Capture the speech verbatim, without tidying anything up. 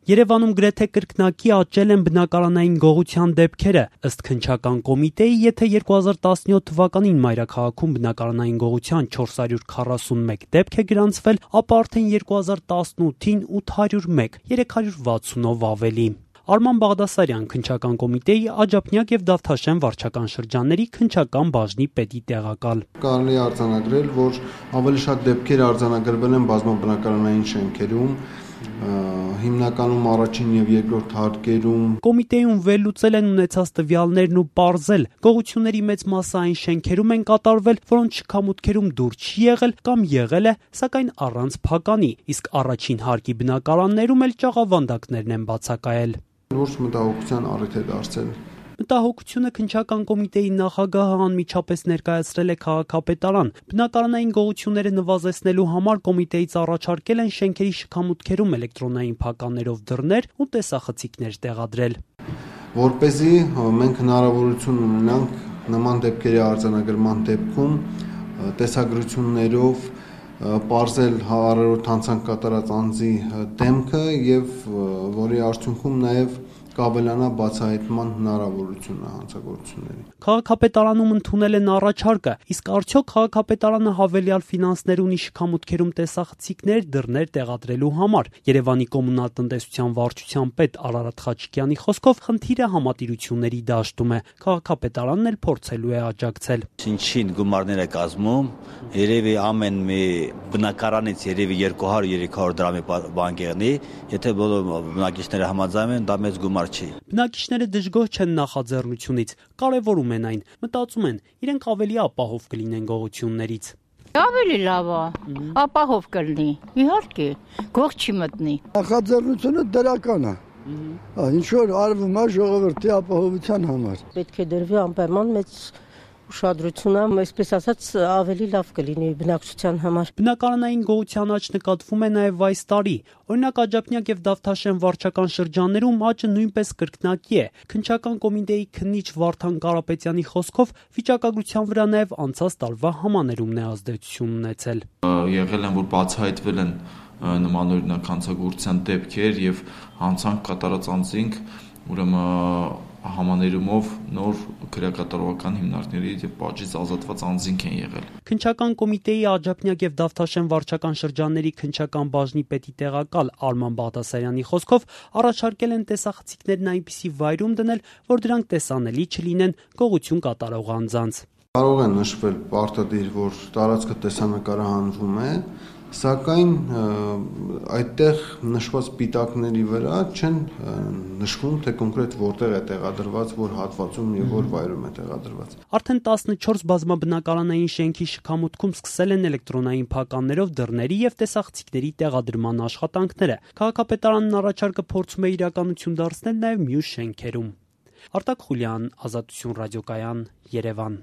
Երևանում գրեթե կրկնակի աճել են բնակարանային գողության դեպքերը։ Ըստ քննչական կոմիտեի, եթե երկու հազար տասնյոթ թվականին մայրաքաղաքում բնակարանային գողության չորս հարյուր քառասունմեկ դեպք է գրանցվել, ապա արդեն երկու հազար տասնութին ութ հարյուր մեկ, երեք հարյուր վաթսունով ավելի։ Արման Բաղդասարյան, քննչական կոմիտեի Աջափնյակ եւ Դավթաշեն վարչական շրջանների քննչական բաժնի պետի տեղակալ։ Կարելի է արձանագրել, որ ավելի շատ դեպքեր արձանագրվել են բազմաբնակարանային շենքերում, հիմնականում առաջին եւ երկրորդ հարկերում։ Կոմիտեում վերլուծել են ունեցած տվյալներն ու պարզել, գողությունների մեծ մասը այն շենքերում են կատարվել, որոնց շքամուտքերում դուր չի եղել կամ եղել է, սակայն առանց փականի, իսկ առաջին հարկի բնակարաններում էլ ճաղավանդակներն են բացակայել։ Լուրջ մտահոգության առիթ է դարձել։ Մտահոգությունը քննչական կոմիտեի նախագահը անմիջապես ներկայացրել է քաղաքապետարան։ Բնակարանային գողությունները նվազեցնելու համար կոմիտեից առաջարկել են շենքերի շքամուտքերում էլեկտրոնային փականներով դռներ ու տեսախցիկներ տեղադրել։ Որպեսզի մենք հնարավորություն ունենանք նման դեպքերի արձանագրման դեպքում տեսագրություններով պարզել հարյուրობით հանցանք կատարած անձի դեմքը եւ որի արդյունքում նաեւ կավելանա բացահայտման հնարավորությունը հանցագործությունների։ Քաղաքապետարանում ընդունել են առաջարկը, իսկ արդյոք քաղաքապետարանը հավելյալ ֆինանսներ ունի շքամուտքերում տեսախցիկներ, դռներ տեղադրելու համար։ Երևանի կոմունալ տնտեսության վարչության պետ Արարատ Խաչիկյանի խոսքով խնդիրը համատիրությունների դաշտում է։ Քաղաքապետարանն էլ փորձելու է աջակցել։ Ինչին գումարներ է կազմում, երևի ամեն մի բնակարանից երևի երկու հարյուր երեք հարյուր դրամի բան կեղնի, եթե բոլոր բնակիչները համաձայն են, դա մեծ գումար չի։ Բնակիչները դժգոհ չեն նախաձեռնությունից, կարևորում են այն, մտածում են, իրենք ավելի ապահով կլինեն գողություններից։ Ավելի լավ է, ապահով կլինի, իհարկե, գող չի մտնի։ Նախաձեռնությունը դրական է։ Ինչ որ արվում է ժողովրդի ապահովության համար։ Պետք է դրվի անպայման մեծ ուշադրությունը, այսպես ասած, ավելի լավ կլինի բնակչության համար։ Բնակարանային գողության աճ նկատվում է նաև այս տարի։ Օրինակ Աջափնյակ եւ Դավթաշեն վարչական շրջաններում աճը նույնպես կրկնակի է։ Քննչական կոմիտեի քննիչ Վարդան Կարապետյանի խոսքով վիճակագրության վրա նաև անցած տարվա համաներումն է ազդեցություն ունեցել։ Եղել են, որ բացահայտվել են նմանօրինակ հանցագործության դեպքեր եւ հանցանք կատարած անձինք, ուրեմն համաներումով նոր քրեակատարողական հիմնարկների եւ պատժից ազատված անձինք են եղել։ Քննչական կոմիտեի Աջափնյակ եւ Դավթաշեն վարչական շրջանների քննչական բաժնի պետի տեղակալ Արման Բաղդասարյանի խոսքով առաջարկել են տեսախցիկներն այնպիսի վայրում դնել, որ դրանք տեսանելի չլինեն գողություն կատարող անձանց։ Կարող է նշվել պարտադիր, որ տարածքը տեսանկարահանվում է, սակայն այդտեղ նշված պիտակների վրա չեն նշվում, թե կոնկրետ որտեղ է տեղադրված, որ հատվածում եւ որ վայրում է տեղադրված։ Արդեն տասնչորս բազմաբնակարանային շենքի շքամուտքում սկսել են էլեկտրոնային փականներով դռների եւ տեսախցիկների տեղադրման աշխատանքները։ Քաղաքապետարանն առաջարկը փորձում է իրականություն դարձնել նաեւ մյուս շենքերում։ Արտակ Խուլյան, Ազատություն ռադիոկայան, Երևան։